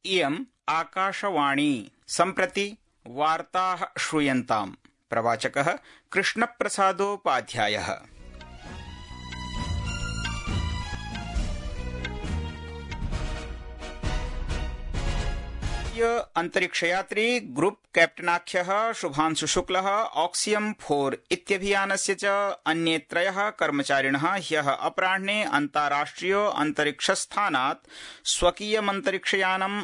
इयम् आकाशवाणी। सम्प्रति वार्ताः श्रूयन्ताम्। प्रवाचकः कृष्णप्रसादोपाध्यायः। अंतरिक्षयात्री ग्रुप कैप्टनाख्यः शुभांशु शुक्लः ऑक्सियम 4 इत्यभियानस्य च अन्ये त्रयः कर्मचारिणः ह्यः अपराह्ने अन्ताराष्ट्रिय अंतरिक्षस्थानात् स्वकीयमन्तरिक्षयानम्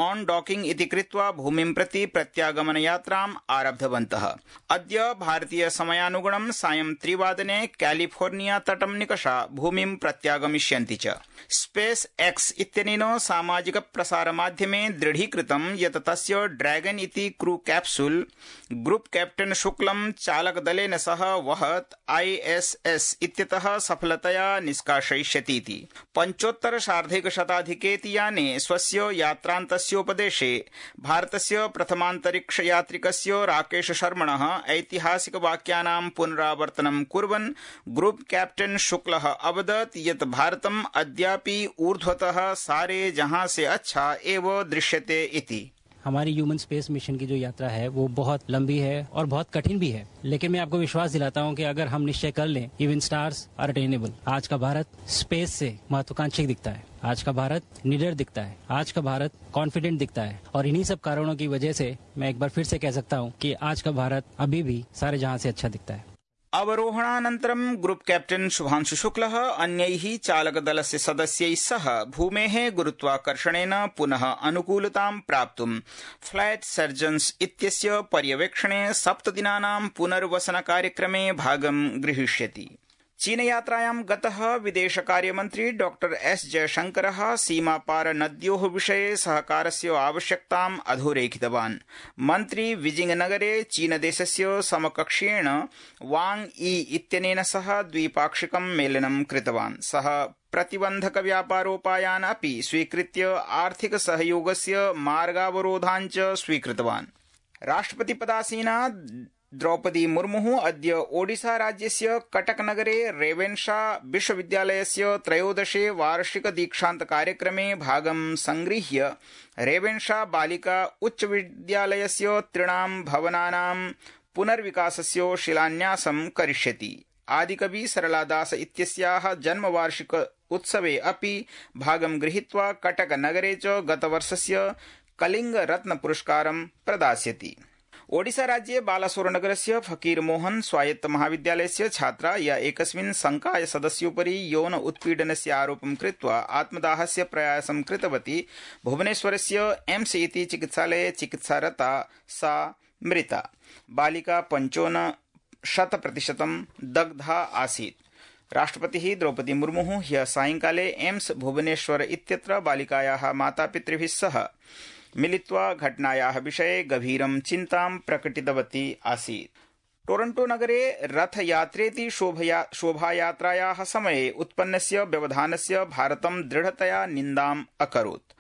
ऑन डॉकिंग इति कृत्वा भूमिं प्रति प्रत्यागमन यात्राम् आरब्धवन्तः। अद्य भारतीय समयानुगुणं सायं 3 वादने कैलिफोर्निया तटं निकषा भूमिं प्रत्यागमिष्यन्ति च। स्पेस एक्स इत्यनेन सामाजिक प्रसार माध्यमे दृढीकृतं यत् तस्य ड्रैगन इति क्रू कैप्सूल ग्रुप कैप्टन शुक्लं चालकदलेन सह वहत् ISS इत्यतः सफलतया निष्कासयिष्यतीति। 75 याने स्वस्य यात्रान्तस्योपदेशे भारतस्य प्रथमान्तरिक्षयात्रिकस्य राकेश शर्मणः ऐतिहासिक वाक्यानां पुनरावर्तनं कुर्वन् ग्रुप कैप्टन शुक्लः अवदत् यत् भारतम् अद्यापि ऊर्ध्वतः सारे जहां से अच्छा एव दृश्यते इति। हमारी ह्यूमन स्पेस मिशन की जो यात्रा है वो बहुत लंबी है और बहुत कठिन भी है, लेकिन मैं आपको विश्वास दिलाता हूं कि अगर हम निश्चय कर लें, इवन स्टार्स आर अटेनेबल। आज का भारत स्पेस से महत्वाकांक्षी दिखता है, आज का भारत निडर दिखता है, आज का भारत कॉन्फिडेंट दिखता है, और इन्हीं सब कारणों की वजह से मैं एक बार फिर से कह सकता हूं कि आज का भारत अभी भी सारे जहां से अच्छा दिखता है। अवरोहणानन्तरं ग्रुप कैप्टन शुभांशु शुक्लः अन्यैः चालकदलस्य सदस्यैः सह भूमेः गुरुत्वाकर्षणेन पुनः अनुकूलतां प्राप्तुं फ्लाइट सर्जन्स इत्यस्य पर्यवेक्षणे 7 दिनानां पुनर्वसनकार्यक्रमे भागं गृहीष्यति। चीनयात्रायां गतः विदेशकार्यमन्त्री डॉ एस जयशंकरः सीमापार नद्योः विषये सहकारस्य आवश्यकताम् अधोरेखितवान्। मन्त्री बीजिंगनगरे चीनदेशस्य समकक्षेण वांग यी इत्यनेन सह द्विपाक्षिकं मेलनं कृतवान्। सः प्रतिबन्धक व्यापारोपायान् अपि स्वीकृत्य आर्थिक सहयोगस्य मार्गावरोधान् च स्वीकृतवान्। राष्ट्रपतिपदासीना द्रौपदी मुर्मु अद्य ओडिशा राज्यस्य कटकनगरे रेवेन्शा विश्वविद्यालयस्य 13 वार्षिक दीक्षान्त कार्यक्रमे भागं संगृह्य रेवेन्शा बालिका उच्चविद्यालयस्य 3 भवनानां पुनर्विकासस्य शिलान्यासं करिष्यति। आदिकवि सरलादास इत्यस्याः जन्मवार्षिक उत्सवे अपि भागं गृहीत्वा कटकनगरे च गतवर्षस्य कलिंग रत्न पुरस्कारं प्रदास्यति। ओडिशा राज्ये बालासोरनगरस्य फकीर मोहन स्वायत्त महाविद्यालयस्य छात्रा या एकस्मिन् संकाय सदस्योपरि यौन उत्पीडनस्य आरोपं कृत्वा आत्मदाहस्य प्रयासं कृतवती भुवनेश्वरस्य एम्स इति चिकित्सालये चिकित्सारता सा मृता। बालिका 55% दग्धा आसीत्। राष्ट्रपतिः द्रौपदी मुर्मु ह्यः सायंकाले एम्स भुवनेश्वर इत्यत्र बालिकायाः मातापितृभिः सह मिलित्वा घटनायाः विषये गभीरं चिन्तां प्रकटितवती आसीत्। टोरंटो नगरे रथयात्रेति शोभायात्रायाः समये उत्पन्नस्य व्यवधानस्य भारतं दृढतया निन्दाम् अकरोत्।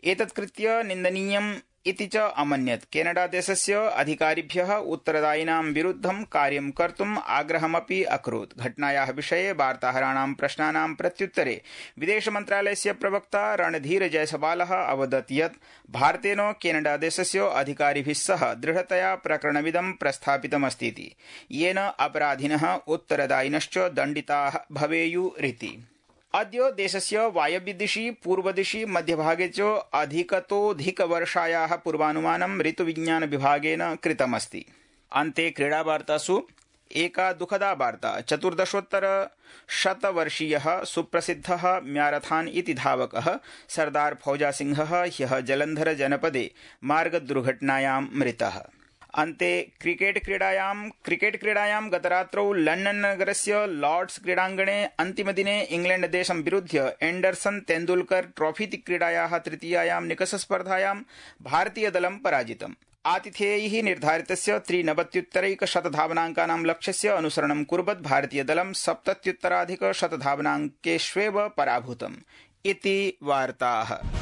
एतत्कृत्य निन्दनीयम् इति च अमन्यत्। केनडा देशस्य अधिकारिभ्यः उत्तरदायिनां विरुद्धं कार्यं कर्तुम् आग्रहमपि अकरोत्। घटनायाः विषये वार्ताहराणां प्रश्नानां प्रत्युत्तरे विदेशमन्त्रालयस्य प्रवक्ता रणधीर जयसवालः अवदत् यत् भारतेन केनडा देशस्य अधिकारिभिः सह दृढतया प्रकरणमिदं प्रस्थापितमस्तीति, येन अपराधिनः उत्तरदायिनश्च दण्डिताः भवेयुरिति। अद्य देशस्य वायव्यदिशि पूर्वदिशि मध्यभागे च अधिकतोऽधिकवर्षायाः पूर्वानुमानं ऋतुविज्ञान विभागेन कृतमस्ति। अन्ते क्रीडावार्तासु एका दुःखदा वार्ता। 14-वर्षीयः सुप्रसिद्धः म्यारथान इति धावकः सरदार फौजा सिंहः ह्यः जलन्धर जनपदे मार्गदुर्घटनायां मृतः। अन्ते क्रिकेट क्रीडायां गतरात्रौ लण्डन नगरस्य लॉर्ड्स क्रीडाङ्गणे अन्तिमदिने इंग्लैंड देशं विरुध्य एंडरसन तेंदुलकर ट्रॉफीति क्रीडायाः तृतीयायां निकषस्पर्धायां भारतीयदलं पराजितम्। आतिथेयैः निर्धारितस्य 93 धावनाङ्कानां लक्ष्यस्य अनुसरणं कुर्वत् भारतीयदलं 70 धावनाङ्केष्वेव पराभूतम् इति वार्ताः।